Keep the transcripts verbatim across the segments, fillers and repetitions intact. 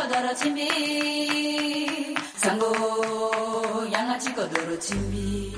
Doro ti mbi, sango, yanga ti kodoro ti mbi.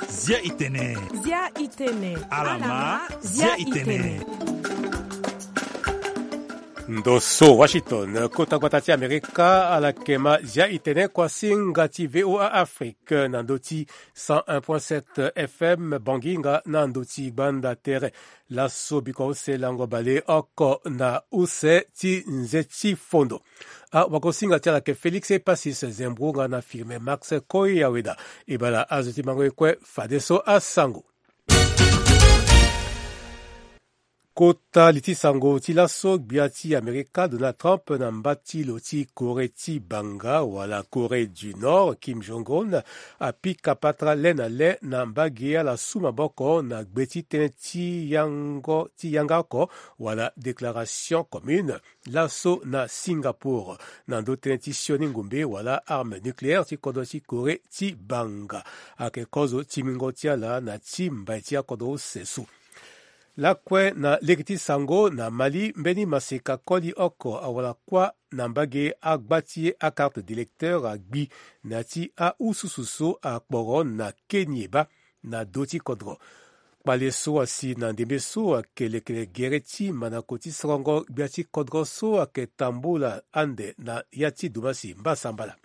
Zia i tene. Zia i tene. Alama, zia i tene. Ndo so Washington, kota gbata ti Amerika, ala yeke ma zia i tene kuasinga ti V O A Afrique na ndö ti cent un point sept F M Bangi nga na ndö ti gbanda tere. Laso bikua use lango baleoko na use ti nze ti fondo. Awagosinga ti ala yeke Félix Epasis Zembro nga na Firmin Max Koyaweda. E baa ala azo ti mango ye kue fadeso asango. Kota li ti sango ti laso, gbia ti Amerika Donald Trump na mba ti lo ti Corée ti banga wala Corée du Nord Kim Jong-un apika patara le na le na mbage ala su maboko na gbe ti tënë ti yango ti yanga oko wala déclaration commune laso na Singapour na ndö tënë ti sioni ngombe wala arme nucléaire ti kodro ti Corée ti banga. Ayeke kozo ti mingo ti ala na ti mbai ti akodro use so. Lakue na lege ti sango na Mali, mbeni maseka koli oko awara kuâ na mbage agba ti ye akarte d'électeur agbi na ya ti aususu so akporo na keni eba na do ti kodro. Kpale so asi na ndembe so ayeke lekere gere ti mandako ti sorongo gbia ti kodro so ayeke tambula ande na ya ti dumasi mbasambala.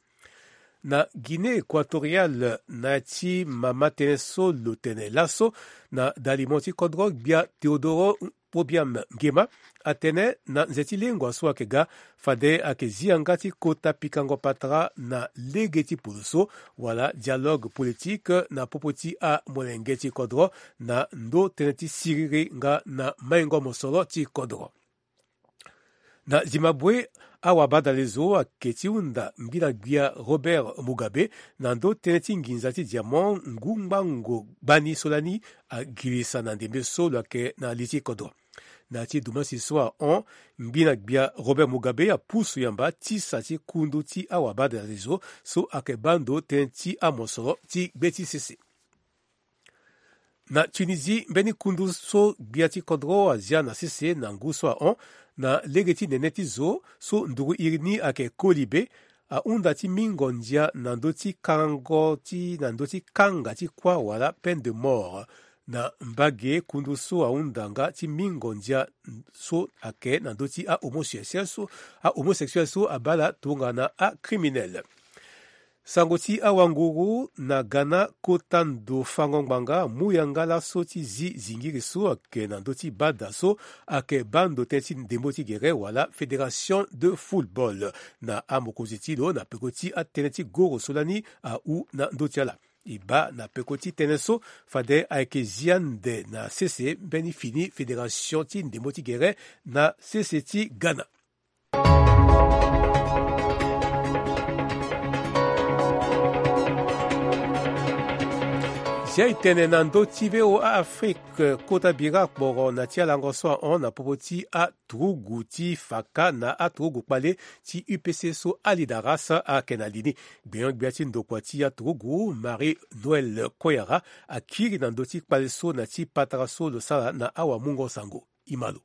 Na Guinée équatoriale, na ya ti mama tënë so lo tene laso na dalimo ti kodro, gbia Teodoro Obiang Nguema atene na nze ti lengua so ayeke ga, fade ayeke zi yanga ti kota pikango patara na lege ti poloso wala dialogue politique na popo ti amolenge ti kodro na ndö tënë ti siriri nga na maingo mosoro ti kodro. Na Zimbabwe, awabadalezo ayeke ti hunda ngbina gbia Robert Mugabe na ndö tënë ti nginza ti diamant ngu ngbango gbani so lani agirisa na ndembe so lo yeke na li ti kodro. Na ya ti dumasi so ahon, ngbina gbia Robert Mugabe apusu yamba tisa ti kundu ti awabadalezo so ayeke baa ndo tënë ti amosoro ti gbe ti sese. Na Tunisie, mbeni kundu so gbia ti kodro azia na sese na ngu so ahon, na lege ti nene ti zo so nduru iri ni ayeke koli be, ahunda ti mingo ndia na ndö ti kango ti, na ndö ti kanga ti kuâ wala peine de mort na mbage kundu so ahunda nga ti mingo ndia so ayeke na ndö ti ahomosexuel so, ahomosexuel so abaa ala tongana acriminel. Sango ti awanguru na Ghana, kota ndo fango ngbanga amu yanga laso ti zi zingiri so ayeke na ndö ti bada so ayeke baa ndo tënë ti ndembo ti gere wala Fédération de football na amokonzi ti lo na peko ti atënë ti goro so lani ahu na ndö ti ala. E baa na peko ti tënë so fade ayeke zi ande na sese mbeni fini fédération ti ndembo ti gere na sese ti Ghana. Zia e tene na ndö ti V O A Afrique, kota bira akporo na ti alango so ahon na popo ti aturugu ti faka na aturugu kpale ti U P C so Ali Daras ayeke na li ni. Gbenyo-gbia ti ndokua ti aturugu, Marie Noël Koyara, akiri na ndö ti kpale so na ti patara so lo sara na awamungo sango. E ma lo.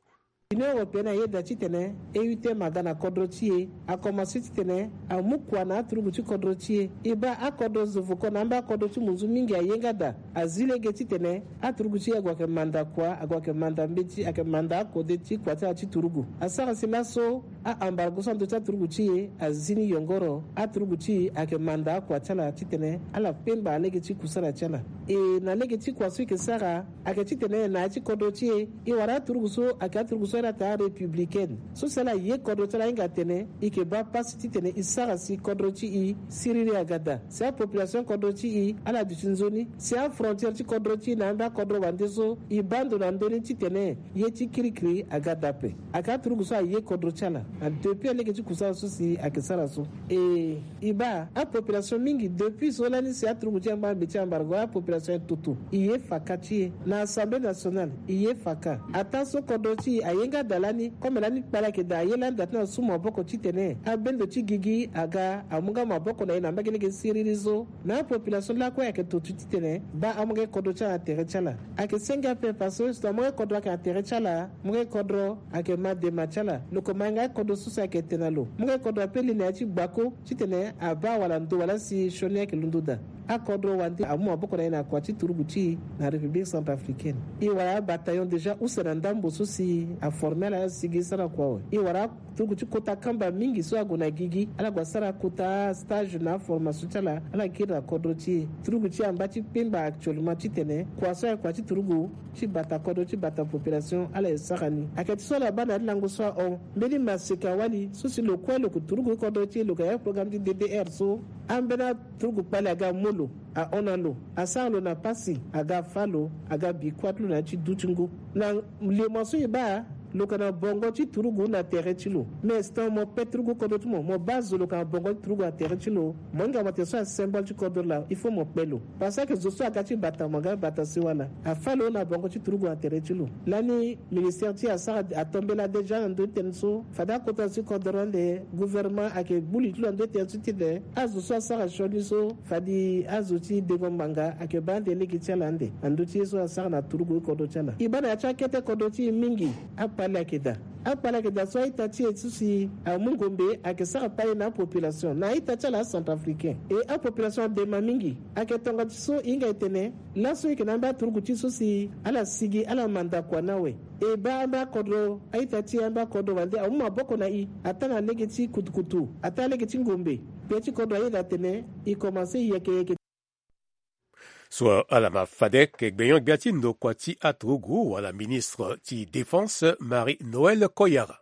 Union européenne ayeda titene E U T M aga na kodro ti e, akomanse titene amu kua na aturugu ti kodro ti e. E baa akodro zo voko na amba akodro ti munzu mingi aye nga daa, azi lege titene aturugu ti e ague ayeke manda kua, ague ayeke manda mbeti, ayeke manda akode ti kua ti ala ti turugu. Asara si laso a-embargo so na ndö ti aturugu ti e azi ni yongoro. Aturugu ti e ayeke manda akua ti ala titene ala kpengba lege ti kusala ti ala. E na lege ti kua so e yeke sara, ayeke titene na ya ti kodro ti e, e wara aturugu so ayeke aturugu so ala taa républicaine. So si ala ye kodro ti ala ahinga atene e yeke baa pasi titene e sara si kodro ti e siriri aga daa. Si apopulation kodro ti e ala duti nzoni. Si afrontière ti kodro ti e na amba kodro wande so e baa ndo na ndö ni titene ye ti kirikiri aga daa ape. Ayeke aturugu so aye kodro ti ala. Na depuis alege ti kusala so si ayeke sara so. E, e baa apopulation mingi depuis so lani si aturugu ti e angba na mbi ti embargo, apopulation aye toto. E ye faka ti e na Assemblée nationale, e ye faka. Ataa so kodro ti e aye nga daa lani, comme lani kpale ayeke daa, aye lani daa ti na su maboko titene abendo ti gigi aga amu nga maboko na e na mbage lege siriri so. Na apopulation lakue ayeke toto titene baa amu nga kodro ti ala na tere ti ala. Ayeke senge ape parce que si amu nga kodro ayeke na tere ti ala, amu nga kodro ayeke ma dema ti ala. Lo ko ma nga Kodro so si ayeke tene na lo, mo ga kodro ape li na ya ti gbako titene abaa wala ndo wala si sioni ayeke londo daa. Akodro wande amu maboko na e na kua ti turugu ti e na République centrafricaine. E wara abataillon déjà use na ndambo so si aforme ala, ala sigi sara kua awe. E wara aturugu ti kota kamba mingi so ague na gigi, ala gue asara kota stage na aformation ti ala, ala kiri na kodro ti e. Turugu ti e amba ti kpengba actuellement titene kua so ayeke kua ti turugu ti bata kodro ti bata population ala ye sara ni. Ayeke ti so ala baa na ya ti lango so ahon mbeni maseka wali so si lo kue lo yeke turugu ti kodro ti e, lo yeke na ya ti programme ti D D R so. Ambeni aturugu kpali aga mu lo, ahon na lo, asara lo na pasi, aga fâ lo, aga bi kuâ ti lo na ya ti du ti ngu. Na limo so e baa, lo yeke na bongo ti turugu na tere ti lo. Mais c'est-à-dire mo pe turugu kodro ti mo, mo baa zo lo yeke na bongo ti turugu na tere ti lo. Mo hinga mo tene so asymbole ti kodro laa, il faut mo kpe lo. Parce que zo so aga ti bata mo, aga bata si wala. Afâ lo na bongo ti turugu na tere ti lo. Lani ministère ti e asara, atombela déjà na ndö ti tënë so fade akota na si kodro ande, gouvernement ayeke gbu li ti lo na ndö ti tënë so titene azo so asara sioni so fade azo ti dengo ngbanga ayeke baa ande lege ti ala ande na ndö ti ye so asara na turugu ti kodro ti ala. E baa na ya ti akete kodro ti e mingi, akpale ayeke daa. Akpale ayeke daa so a-ita ti e so si amu ngombe ayeke sara kpale na apopulation na a-ita ti ala acentrafricain. E apopulation adema mingi. Ayeke tonga ti so e hinga e tene laso e yeke na ambeni aturugu ti e so si ala sigi ala manda kua ni awe. E baa ambeni akodro, a-ita ti e ambeni akodro wande amu maboko na e, ataa na lege ti kutukutu, ataa lege ti ngombe. Gbia ti kodro ayeda atene e komanse yeke yeke. So ala ma fade ke gbenyo-gbia ti ndokua ti aturugu wala ministre ti défense Marie Noël Koyara.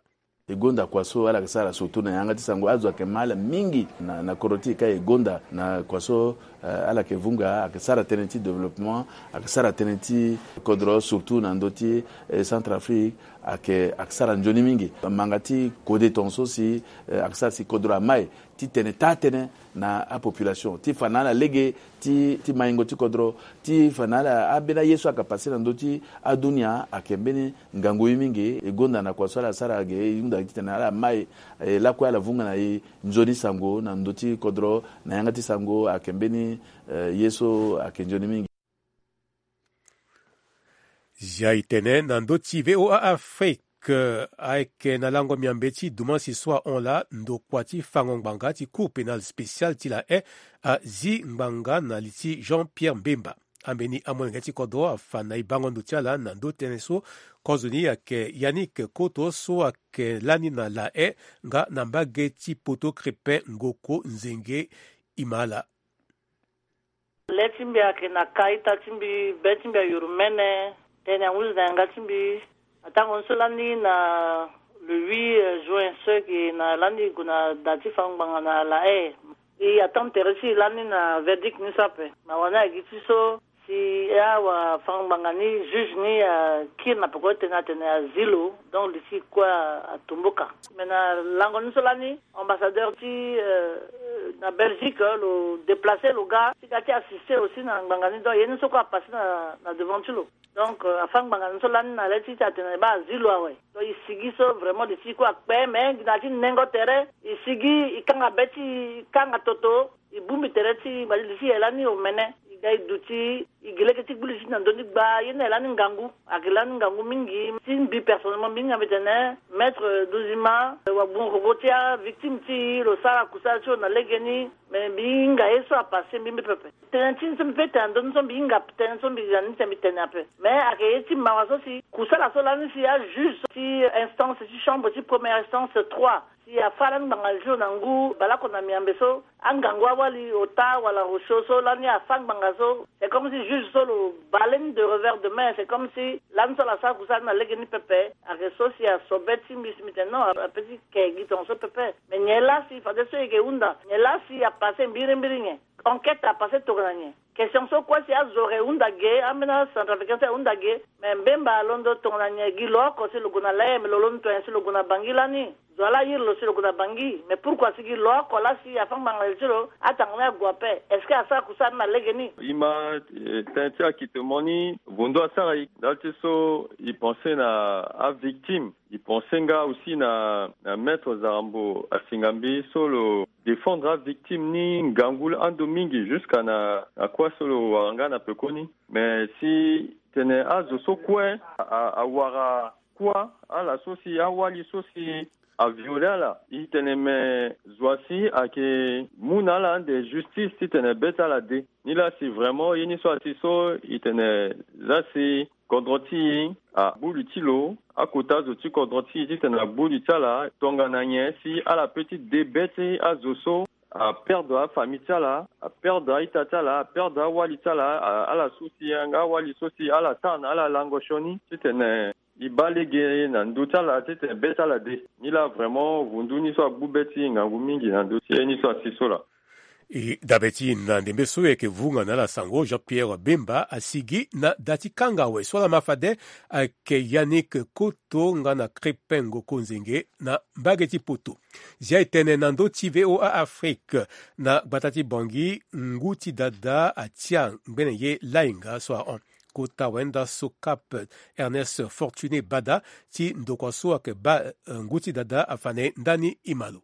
E gonda kua so ala yeke sara surtout na yanga ti sango, azo ayeke ma ala mingi na, na kodro ti e ka e gonda na kua so, eh, ala yeke vunga, ayeke sara tënë ti développement, ayeke sara tënë ti kodro surtout na ndö ti, eh, Centrafrique, ayeke, ayeke sara nzoni mingi. Manga ti kode tongaso si, eh, ayeke sara si kodro amai titene taa tënë na apopulation ti fa na ala lege ti, ti maingo ti kodro, ti fa na ala ambeni aye so ayeke passe na ndö ti adunia ayeke mbeni ngangu ye mingi. E gonda na kua so ala sara ge, e hunda titene ala mai, eh, lakue ala vunga na e nzoni sango na ndö ti kodro, na yanga ti sango ayeke mbeni, eh, ye so ayeke nzoni mingi. Zia e tene na ndö ti V O A Afrique, ayeke na lango miambe ti dumansi so ahon laa, ndokua ti fango ngbanga ti Cour pénale spéciale ti La Haye azi ngbanga na li ti Jean-Pierre Mbemba. Ambeni amolenge ti kodro afa na e bango ndo ti ala na ndö tënë so. Kozoni ayeke Yannick Koto so ayeke lani na La Haye nga na mbage ti poto Crépin Ngoko Nzenge. E ma ala. Le ti mbi ayeke na ka ita ti mbi, be ti mbi ayuru mene, tënë anguzu na yanga ti mbi. Atango ni so lani na le huit juin so e yeke na lani e gue na da ti fango ngbanga na La Haye. E attendre tere ti e lani na verdict ni so ape. Mawa ni ayeke gi ti so si awafango ngbanga ni, juge ni akiri na peko ti tene atene azi lo, donc li ti e kue atumbuka. Mais na lango ni so lani ambassadeur ti, euh, na Belgique, euh, lo déplacer lo ga ti ga ti assister aussi na ngbanga ni, donc ye ni so kue apasse na, na devant ti lo. Donc, euh, afa ngbanga ni so lani na le ti ti atene baa azi lo awe. Donc e sigi so vraiment li ti e kue akpe, mais gi na ya ti nengo tere e sigi e kanga be ti e, e kanga toto, e bongbi tere ti e, mba ti li ti e lani omene. E ga e duti, e gi lege ti gbu li ti e na ndö ni gba, ye ni aye lani ngangu. Ayeke lani ngangu mingi. Si mbi personnellement mbi hinga mbi tene Maître Dozima, euh, wa gbungo koko ti avictime ti e, lo sara kusala ti lo na lege ni. Mais mbi hinga ye so apasse mbi mbi pepe. Tënë ti ni so mbi pe tene na ndö ni so mbi hinga tënë so mbi ga ni tene mbi tene ape. Mais ayeke ye ti mawa so si kusala so lani si ajuge so ti instance ti chambre ti première instance trois, si afa lani ngbanga jour na ngu baleoko na miambe so, angangu awali ota wala rochaud so lani afa ngbanga so, c'est comme si juge so lo bale ni de revers de main, c'est comme si lani so ala sara kusala ni na lege ni pepe. Ayeke so si aso be ti mbi si mbi tene non, ape ti ke gi tongaso pepe. Mais nyen laa si fade so e yeke hunda, nyen laa si apasse mbirimbiri nyen? Enquête apasse tongana nyen? Question so kue si azo ayeke hunda ge, ambeni acentrafricain so ayeke hunda ge. Mais Mbemba alondo tongana nyen? Gi lo oko si lo gue na La Haye, mais lo londo tongana nyen si lo gue na Bangui lani? Zo wa laa ayiri lo si lo gue na Bangui, mais pourquoi si gi lo oko laa si afa ngbanga li ti lo, atanga ni ague ape? Est-ce que asara kusala ni na lege ni? E ma, eh, tënë ti akitemo ni, vondo asara e. Ndali ti so e pense na avictime. E pense nga aussi na, na Maître Zarambo Asingambi so lo défendre avictime ni ngangu ando mingi jusqu'à na, na kua so lo wara nga na pekoni. Mais si tene azo so kue a, a, awara kua, ala so si awali so si aviole ala. E tene me zo asi ayeke mu na ala ande justice titene be ti ala de. Nilaa si vraiment ye ni so asi so e tene laa si kodro ti e agbu li ti lo, akota azo ti kodro ti e titene agbu li ti ala tongana nyen si ala pe ti de be ti azo so aperdre afamille ti ala, aperdre a-ita ti ala, aperdre awali ti ala, a- ala so si yanga awali so si ala tara na ala lango sioni titene e baa lege na ndö ti ala titene be ti ala de. Nilaa vraiment vundu ni so agbu be ti e ngangu mingi na ndö ti ye ni so asi so laa. E dabe ti e na ndembe so e yeke vunga na ala sango, Jean Pierre Bemba asigi na da ti kanga awe so ala ma fade ayeke Yannick Koto nga na Crépin Ngoko Nzenge na mbage ti poto. Zia e tene na ndö ti V O A Afrique na gbata ti Bangui, ngu ti dada atia ngbene ye lainga so ahon. Kota wenda so cap Ernest Fortuné Bada ti ndokua so ayeke baa, eh, ngu ti dada afa na e ndani e ma lo.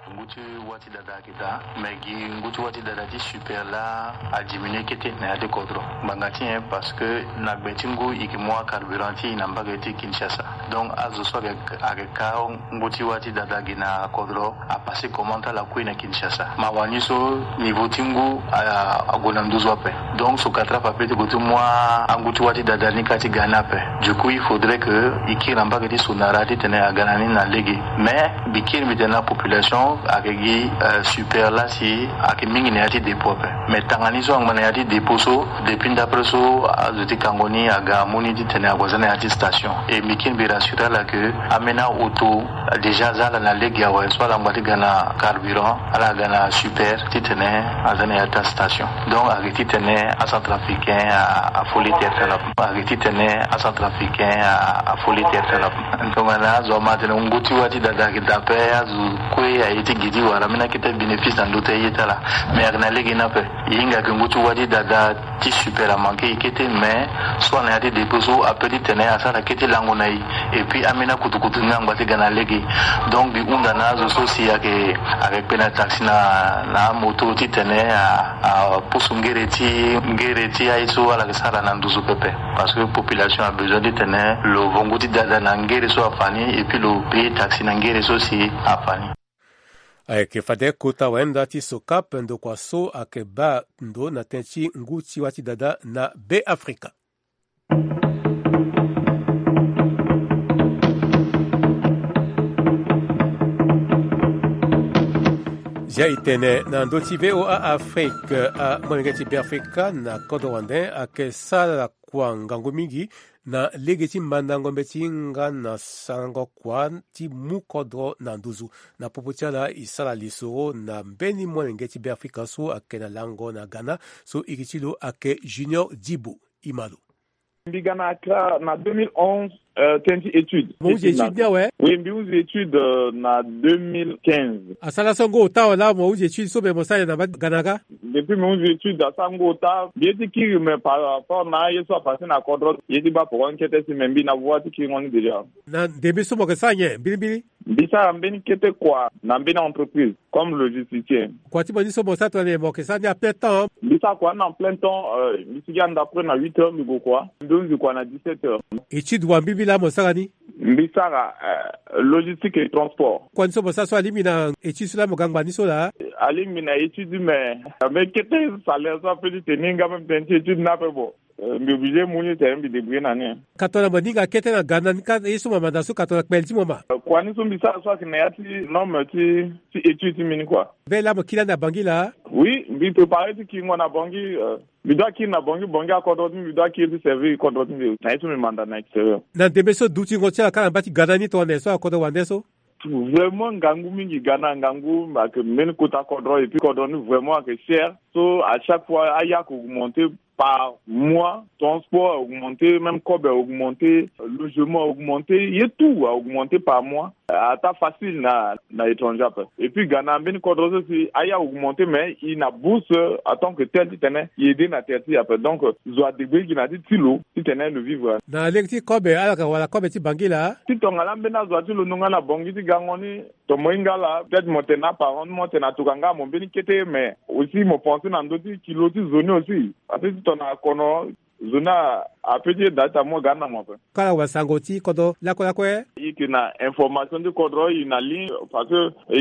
Ngu ti wa ti dada ayeke daa, me gi ngu ti wa ti dada ti super laa adiminué kete na ya ti kodro. Ngbanga ti nyen? Parce que na gbe ti ngu e yeke mu acarburant ti e na mbage ti Kinshasa. Donc azo so ayeke, ayeke ka ngu ti wa ti dada gi na kodro apassé commande ti ala kue na Kinshasa. Mawa ni so niveau ti ngu a- ague na nduzu ape. Donc Socatraf apeut ti gue ti mu angu ti wa ti dada ni kâ ti ga ni ape. Du coup il faudrait que e kiri na mbage ti Sonara titene aga na ni na lege. Mais mbi kiri mbi tene na population ayeke gi, euh, super laa si ayeke mingi na ya ti dépôt ape. Mais tanga ni so angba na ya ti dépôt so, depuis ndapre so azo ti kango ni aga amu ni titene ague aza na ya ti station. E mbi kiri mbi rassurer ala que ambeni auto déjà aza ala na lege awe, so ala ngba ti ga na carburant, ala ga na super titene aza na ya ti astation. Donc ayeke titene acentrafricain a- afoli terre ti ala. Ayeke titene acentrafricain a- afoli terre ti ala. Tongana azo ama atene ngu ti wa ti dada ayeke daa ape, azo kue aye ti gi ti wara ambeni akete bénéfice na ndö ti aye ti ala. Mais ayeke na lege ni ape. E hinga ayeke ngu ti wa ti dada ti super amanke e kete, mais so ana ya ti dépôt so apeut titene asara kete lango na e. Et puis ambeni akutukutu ni angba ti ga na lege. Donc mbi hunda na azo so si ayeke, ayeke kpe na taxi na, na amoto titene a, apusu ngere ti, ngere ti aye so ala yeke sara na nduzu pepe. Parce que population a besoin titene lo vongu ti dada na ngere so afa ni, et puis lo payer taxi na ngere so si afa ni. Ayeke fade kota wayanda ti Socap, ndokua so ayeke baa ndo na tënë ti ngu ti wa ti dada na Be Afrika. Zia e tene na ndö ti V O A Afrique, amolenge ti Be Afrika na kodro wande ayeke sara kua ngangu mingi na lege ti mandango mbeti nga na sarango kua ti mu kodro na nduzu. Na popo ti ala e sara lisoro na mbeni molenge ti Be Afrika so ayeke na lango na Ghana, so iri ti lo ayeke Junior Dibo. E ma lo. Mbi ga na Accra na deux mille onze, euh, tënë ti étude. Mo hundi étude ni awe? Oui, mbi hundi étude, euh, na deux mille quinze. Asara so ngu ota awe laa mo hundi étude so, me mo sara na mbage ti Ghana kâ? Depuis mbi hundi étude asara ngu ota. Mbi ye ti kiri, me par rapport na aye so apassé na kodro, ye ti baa poko ni kete si, me mbi na voie ti kiringo ni déjà. Na ndembe so mo yeke sara nyen mbirimbiri? Mbi sara mbeni kete kua na mbeni entreprise comme logisticien. Kua ti mo ni so mo sara tongana nyen, mo yeke sara ni à plein temps? Mbi sara kua ni na plein temps, euh, mbi sigi ande après na huit heures mbi gue kua, mbi hundi kua na dix-sept heures. Étude wa mbirimbiri laa mo sara ni? Mbi sara, euh, logistique et transport. Kua ni so mo sara so alingbi na étude so laa mo ga ngba ni so laa? Alingbi na étude, mais, mais kete salaire so apeut ti tene nga même tënë ti étude ni ape, bon. Euh, mbi obligé mu ni tene mbi débrouiller na ni. Ka tongana mo hinga kete na Ghana ni kâ, ye so mo manda so ka tongana kpele ti mo ma? Euh, kua ni so mbi sara so ayeke na ya ti norme ti, ti étude ti mbi ni kua. Mbeni laa mo kiri ande na Bangui laa? Oui, mbi préparé ti kiringo na Bangui, euh, mbi doit kiri na Bangui, Bangui akodro ti mbi, mbi doit kiri ti servir kodro ti mbi na ye so mbi manda na extérieur. Na ndembe so dutingo ti ala kâ na mbage ti Ghana ni tongana nyen so akodro wande so? Vraiment ngangu mingi, Ghana ngangu, ayeke mbeni kota kodro, et puis kodro ni vraiment ayeke cher. So à chaque fois aya ayeke augmenté par mois, transport a augmenté, même kobe a augmenté, logement a augmenté, ye tout a augmenté par mois. Ata facile na, na étranger ape. Et puis Ghana mbeni kodro so si aya augmenté, mais e na bourse en tant que tel titene e aidé na terre ti e ape. Donc zo adébrouillé gi na ya ti lo titene lo vivre. Na lege ti kobe, ala yeke wara kobe ti Bangui laa? Ti tongana ambeni azo ati londo nga na Bangui ti gango ni, tongana mo hinga ala, peut-être mo tene na aparent, mo tene na tokua nga mo mbeni kete, mais aussi mo pensé na ndö ti kilo ti zo ni aussi. Parce que ti tongana kono, Zo ni ape ti e daa ti amu aga na mo ape. Kala wasango ti kodro lakue lakue. E yeke na information ti kodro e na ligne parce que e